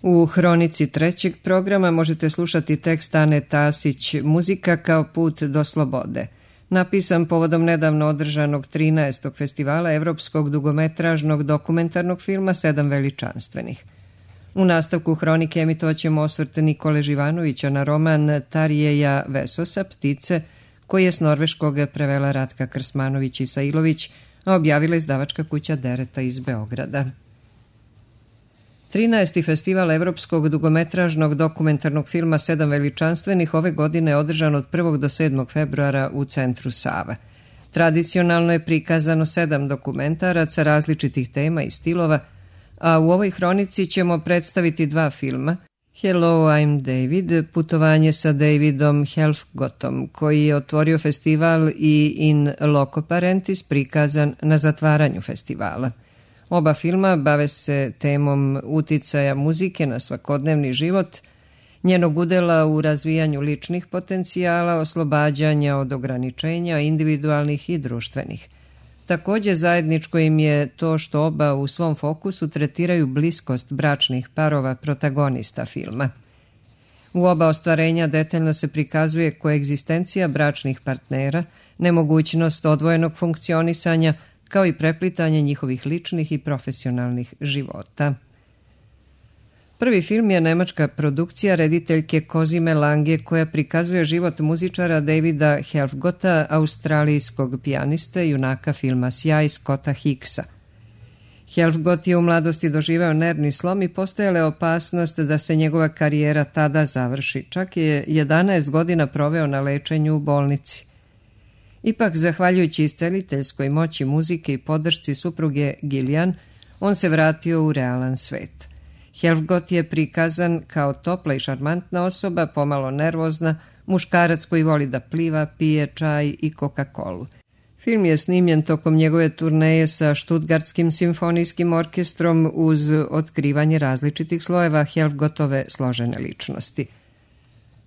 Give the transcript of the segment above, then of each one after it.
U hronici trećeg programa možete slušati tekst Ane Tasić Muzika kao put do slobode, napisan povodom nedavno održanog 13. festivala Evropskog dugometražnog dokumentarnog filma Sedam veličanstvenih. U nastavku hronike emitovaćemo osvrt Nikole Živanovića na roman Tarijeja Vesosa Ptice, koji je s norveškog prevela Ratka Krsmanović-Isailović, a objavila izdavačka kuća Dereta iz Beograda. 13. festival Evropskog dugometražnog dokumentarnog filma Sedam veličanstvenih ove godine je održan od 1. do 7. februara u centru Sava. Tradicionalno je prikazano 7 dokumentaraca različitih tema i stilova, a u ovoj hronici ćemo predstaviti 2 filma. Hello, I'm David, putovanje sa Davidom Helfgotom, koji je otvorio festival, i In Loco Parentis, prikazan na zatvaranju festivala. Oba filma bave se temom uticaja muzike na svakodnevni život, njenog udela u razvijanju ličnih potencijala, oslobađanja od ograničenja individualnih i društvenih. Također zajedničko im je to što oba u svom fokusu tretiraju bliskost bračnih parova protagonista filma. U oba ostvarenja detaljno se prikazuje koegzistencija bračnih partnera, nemogućnost odvojenog funkcionisanja, kao i preplitanje njihovih ličnih i profesionalnih života. Prvi film je nemačka produkcija rediteljke Cosime Lange, koja prikazuje život muzičara Davida Helfgota, australijskog pijaniste, junaka filma Sjaj Scotta Hicksa. Helfgot je u mladosti doživeo nervni slom i postojala je opasnost da se njegova karijera tada završi. Čak je 11 godina proveo na lečenju u bolnici. Ipak, zahvaljujući isceliteljskoj moći muzike i podršci supruge Gillian, on se vratio u realan svet. Helfgot je prikazan kao topla i šarmantna osoba, pomalo nervozna, muškarac koji voli da pliva, pije čaj i Coca-Colu. Film je snimljen tokom njegove turneje sa Stuttgartskim simfonijskim orkestrom uz otkrivanje različitih slojeva Helfgotove složene ličnosti.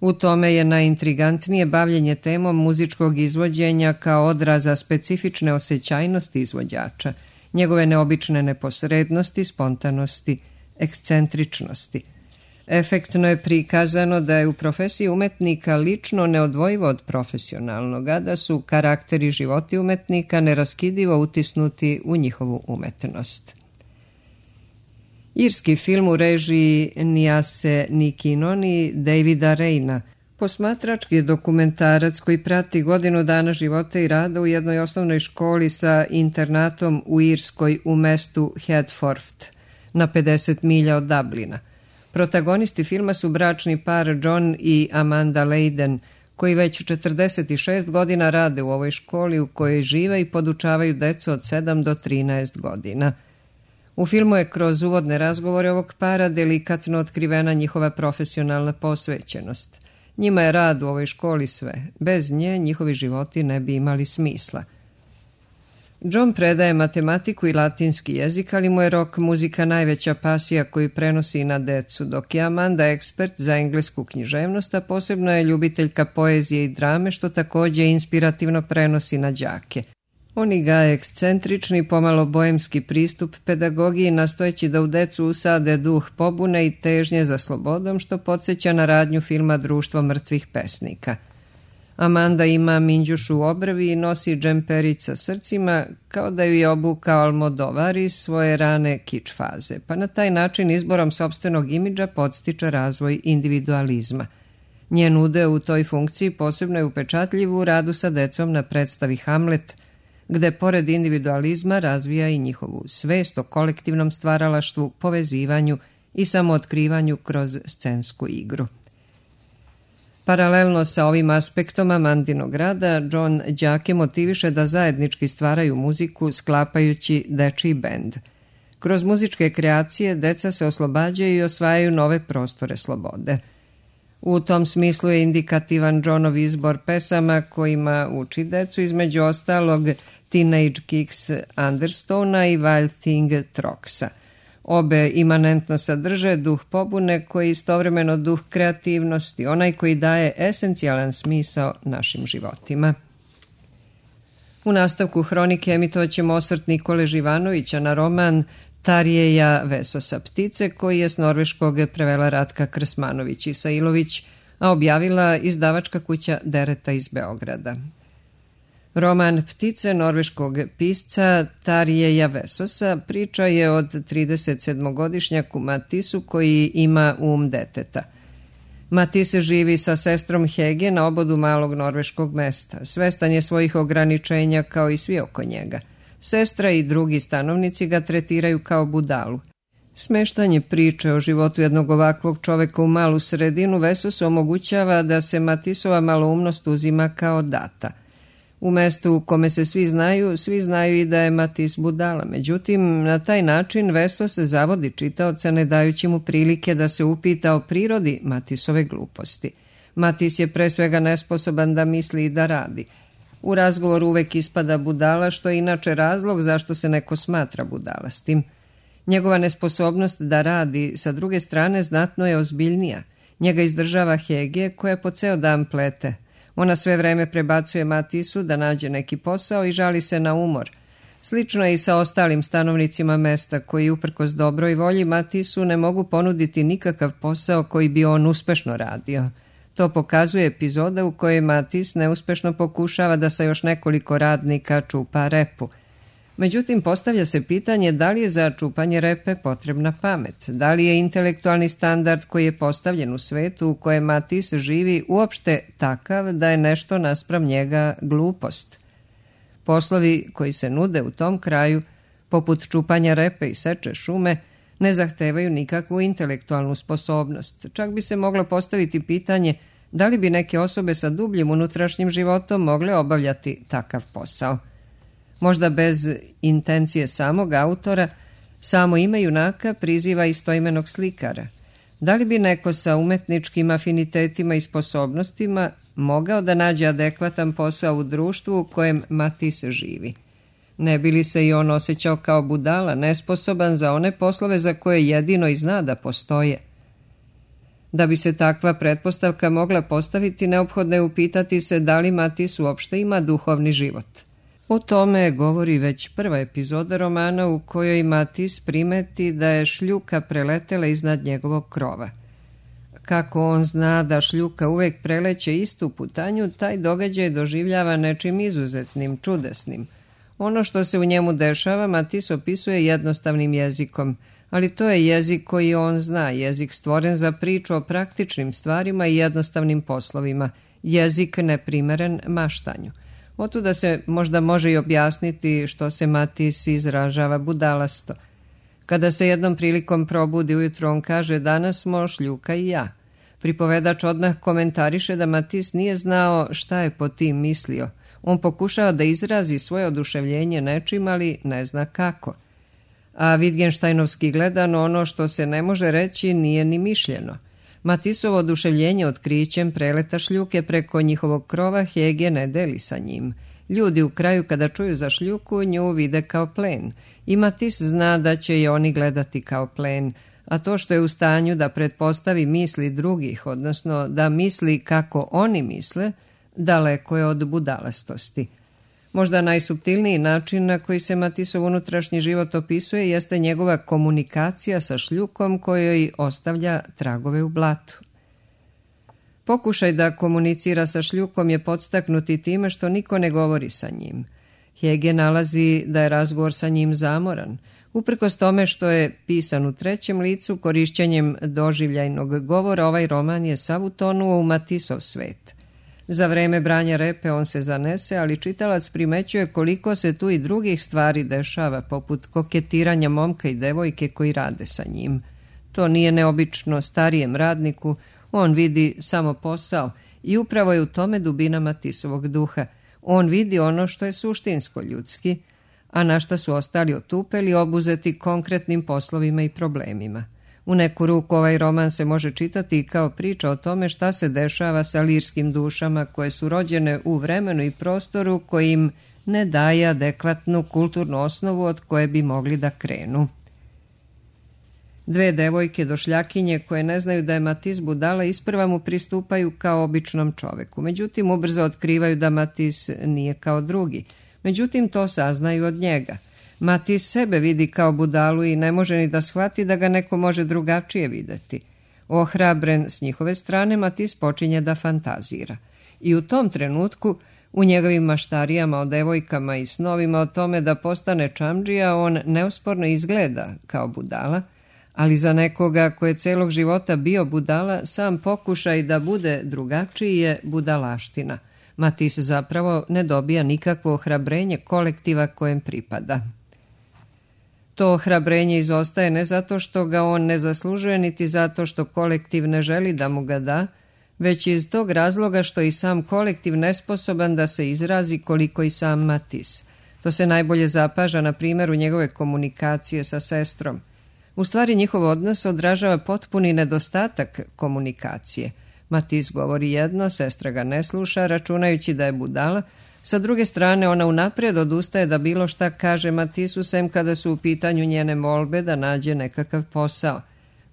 U tome je najintrigantnije bavljenje temom muzičkog izvođenja kao odraza specifične osjećajnosti izvođača, njegove neobične neposrednosti, spontanosti, ekscentričnosti. Efektno je prikazano da je u profesiji umetnika lično neodvojivo od profesionalnog, a da su karakteri životi umetnika neraskidivo utisnuti u njihovu umetnost. Irski film u režiji Niase Nikinoni Davida Reina, posmatrački dokumentarac koji prati godinu dana života i rada u jednoj osnovnoj školi sa internatom u Irskoj u mestu Hertford, na 50 milja od Dublina. Protagonisti filma su bračni par John i Amanda Leyden, koji već 46 godina rade u ovoj školi u kojoj žive i podučavaju decu od 7 do 13 godina. U filmu je kroz uvodne razgovore ovog para delikatno otkrivena njihova profesionalna posvećenost. Njima je rad u ovoj školi sve. Bez nje njihovi životi ne bi imali smisla. John predaje matematiku i latinski jezik, ali mu je rock muzika najveća pasija koju prenosi na decu, dok je Amanda ekspert za englesku književnost, a posebno je ljubiteljka poezije i drame, što također inspirativno prenosi na đake. Oni gaje ekscentrični, pomalo bojemski pristup pedagogiji, nastojeći da u decu usade duh pobune i težnje za slobodom, što podsjeća na radnju filma Društvo mrtvih pesnika. Amanda ima minđušu u obrvi i nosi džemperić sa srcima, kao da ju je obukao Almodovar iz svoje rane kič faze, pa na taj način izborom sopstvenog imidža podstiče razvoj individualizma. Njen udeo u toj funkciji posebno je upečatljiv u radu sa decom na predstavi Hamlet, gde pored individualizma razvija i njihovu svest o kolektivnom stvaralaštvu, povezivanju i samootkrivanju kroz scensku igru. Paralelno sa ovim aspektom Amandinog rada, John đake motiviše da zajednički stvaraju muziku sklapajući dečiji bend. Kroz muzičke kreacije deca se oslobađaju i osvajaju nove prostore slobode. U tom smislu je indikativan Johnov izbor pesama kojima uči decu, između ostalog Teenage Kicks Understona i Wild Thing Troxa. Obe imanentno sadrže duh pobune koji je istovremeno duh kreativnosti, onaj koji daje esencijalan smisao našim životima. U nastavku hronike emitovat ćemo osvrt Nikole Živanovića na roman Tarjeja Vesosa ptice, koji je s norveškog prevela Ratka Krsmanović-Isailović, a objavila izdavačka kuća Dereta iz Beograda. Roman Ptice norveškog pisca Tarjeja Vesosa priča je od 37-godišnjaku Matisu koji ima deteta. Matis živi sa sestrom Hege na obodu malog norveškog mesta. Svestan je svojih ograničenja kao i svi oko njega. Sestra i drugi stanovnici ga tretiraju kao budalu. Smeštanje priče o životu jednog ovakvog čoveka u malu sredinu Vesosu omogućava da se Matisova maloumnost uzima kao data. U mestu u kome se svi znaju i da je Matis budala. Međutim, na taj način Vesos zavodi čitaoca ne dajući mu prilike da se upita o prirodi Matisove gluposti. Matis je pre svega nesposoban da misli i da radi. U razgovoru uvek ispada budala, što je inače razlog zašto se neko smatra budalastim. Njegova nesposobnost da radi, sa druge strane, znatno je ozbiljnija. Njega izdržava Hege, koja po ceo dan plete. Ona sve vreme prebacuje Matisu da nađe neki posao i žali se na umor. Slično je i sa ostalim stanovnicima mesta, koji uprkos dobroj volji Matisu ne mogu ponuditi nikakav posao koji bi on uspešno radio. To pokazuje epizoda u kojoj Matis neuspešno pokušava da sa još nekoliko radnika čupa repu. Međutim, postavlja se pitanje da li je za čupanje repe potrebna pamet, da li je intelektualni standard koji je postavljen u svetu u kojem Matis živi uopšte takav da je nešto naspram njega glupost. Poslovi koji se nude u tom kraju, poput čupanja repe i seče šume, ne zahtevaju nikakvu intelektualnu sposobnost. Čak bi se moglo postaviti pitanje da li bi neke osobe sa dubljim unutrašnjim životom mogle obavljati takav posao. Možda bez intencije samog autora, samo ime junaka priziva istoimenog slikara. Da li bi neko sa umetničkim afinitetima i sposobnostima mogao da nađe adekvatan posao u društvu u kojem Matis živi? Ne bi li se i on osjećao kao budala, nesposoban za one poslove za koje jedino i zna da postoje? Da bi se takva pretpostavka mogla postaviti, neophodno je upitati se da li Matis uopšte ima duhovni život. O tome govori već prva epizoda romana u kojoj Matis primeti da je šljuka preletela iznad njegovog krova. Kako on zna da šljuka uvek preleće istu putanju, taj događaj doživljava nečim izuzetnim, čudesnim. Ono što se u njemu dešava Matis opisuje jednostavnim jezikom, ali to je jezik koji on zna, jezik stvoren za priču o praktičnim stvarima i jednostavnim poslovima, jezik neprimeren maštanju. Otuda se možda može i objasniti što se Matis izražava budalasto. Kada se jednom prilikom probudi ujutro, on kaže: danas smo šljuka i ja. Pripovedač odmah komentariše da Matis nije znao šta je po tim mislio. On pokušava da izrazi svoje oduševljenje nečim, ali ne zna kako. A Wittgensteinovski gledano, ono što se ne može reći nije ni mišljeno. Matisovo oduševljenje otkrićem preleta šljuke preko njihovog krova Hege ne deli sa njim. Ljudi u kraju kada čuju za šljuku nju vide kao plen. I Matis zna da će je oni gledati kao plen, a to što je u stanju da pretpostavi misli drugih, odnosno da misli kako oni misle, daleko je od budalastosti. Možda najsuptilniji način na koji se Matisov unutrašnji život opisuje jeste njegova komunikacija sa šljukom kojoj ostavlja tragove u blatu. Pokušaj da komunicira sa šljukom je podstaknuti time što niko ne govori sa njim. Hege nalazi da je razgovor sa njim zamoran. Uprkos tome što je pisan u trećem licu, korišćenjem doživljajnog govora, ovaj roman je sav utonuo u Matisov svet. Za vreme branja repe on se zanese, ali čitalac primećuje koliko se tu i drugih stvari dešava, poput koketiranja momka i devojke koji rade sa njim. To nije neobično starijem radniku, on vidi samo posao i upravo je u tome dubina Matisovog duha. On vidi ono što je suštinsko ljudski, a na šta su ostali otupeli, obuzeti konkretnim poslovima i problemima. U neku ruku ovaj roman se može čitati kao priča o tome šta se dešava sa lirskim dušama koje su rođene u vremenu i prostoru koji im ne daje adekvatnu kulturnu osnovu od koje bi mogli da krenu. Dve devojke došljakinje koje ne znaju da je Matis budala isprva mu pristupaju kao običnom čoveku. Međutim, ubrzo otkrivaju da Matis nije kao drugi. Međutim, to saznaju od njega. Matis sebe vidi kao budalu i ne može ni da shvati da ga neko može drugačije videti. Ohrabren s njihove strane, Matis počinje da fantazira. I u tom trenutku, u njegovim maštarijama o devojkama i snovima o tome da postane čamdžija, on neosporno izgleda kao budala, ali za nekoga ko je celog života bio budala, sam pokušaj da bude drugačiji je budalaština. Matis zapravo ne dobija nikakvo ohrabrenje kolektiva kojem pripada. To ohrabrenje izostaje ne zato što ga on ne zaslužuje, niti zato što kolektiv ne želi da mu ga da, već iz tog razloga što je i sam kolektiv nesposoban da se izrazi koliko i sam Matis. To se najbolje zapaža na primjeru njegove komunikacije sa sestrom. U stvari njihov odnos odražava potpuni nedostatak komunikacije. Matis govori jedno, sestra ga ne sluša, računajući da je budala. Sa druge strane, ona unaprijed odustaje da bilo šta kaže Matisu, sem kada su u pitanju njene molbe da nađe nekakav posao.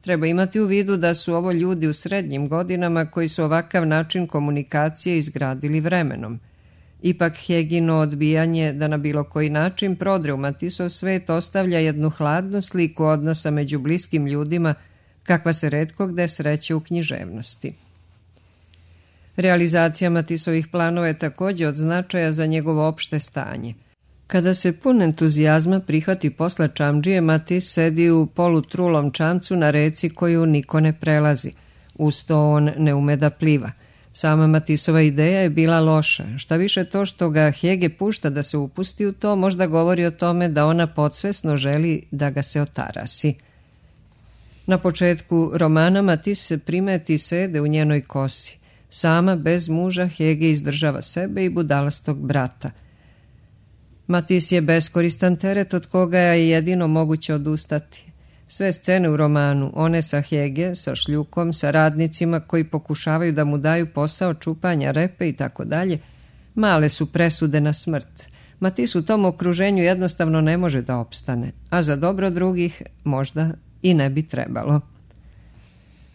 Treba imati u vidu da su ovo ljudi u srednjim godinama koji su ovakav način komunikacije izgradili vremenom. Ipak Hegino odbijanje da na bilo koji način prodre u Matisov svet ostavlja jednu hladnu sliku odnosa među bliskim ljudima kakva se retko gde sreće u književnosti. Realizacija Matisovih planova je također od značaja za njegovo opšte stanje. Kada se pun entuzijazma prihvati posla čamdžije, Matis sedi u polutrulom čamcu na reci koju niko ne prelazi. Uz to on ne ume da pliva. Sama Matisova ideja je bila loša. Šta više, to što ga Hege pušta da se upusti u to možda govori o tome da ona podsvesno želi da ga se otarasi. Na početku romana Matis se primeti sede u njenoj kosi. Sama, bez muža, Hege izdržava sebe i budalastog brata. Matis je beskoristan teret od koga je jedino moguće odustati. Sve scene u romanu, one sa Hege, sa šljukom, sa radnicima koji pokušavaju da mu daju posao čupanja repe i tako dalje, male su presude na smrt. Matis u tom okruženju jednostavno ne može da opstane, a za dobro drugih možda i ne bi trebalo.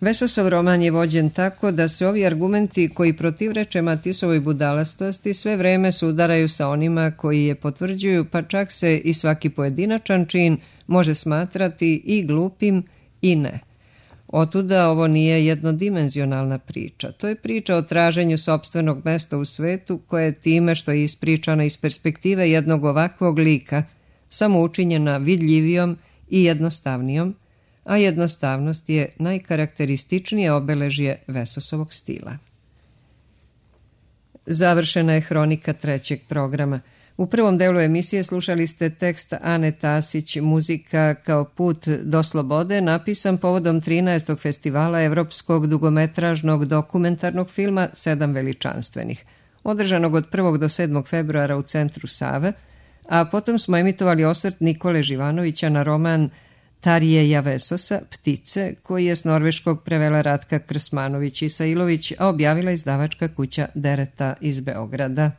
Vesosov roman je vođen tako da se ovi argumenti koji protivreče Matisovoj budalastosti sve vreme sudaraju sa onima koji je potvrđuju, pa čak se i svaki pojedinačan čin može smatrati i glupim i ne. Otuda ovo nije jednodimenzionalna priča. To je priča o traženju sopstvenog mesta u svetu koje je time što je ispričana iz perspektive jednog ovakvog lika samo učinjena vidljivijom i jednostavnijom, a jednostavnost je najkarakterističnije obeležje Vesosovog stila. Završena je hronika trećeg programa. U prvom delu emisije slušali ste tekst Ane Tasić, muzika kao put do slobode, napisan povodom 13. festivala evropskog dugometražnog dokumentarnog filma Sedam veličanstvenih, održanog od 1. do 7. februara u centru Save, a potom smo emitovali osvrt Nikole Živanovića na roman Tarijeja Vesosa, Ptice, koji je s norveškog prevela Ratka Krsmanović Isailović, a objavila izdavačka kuća Dereta iz Beograda.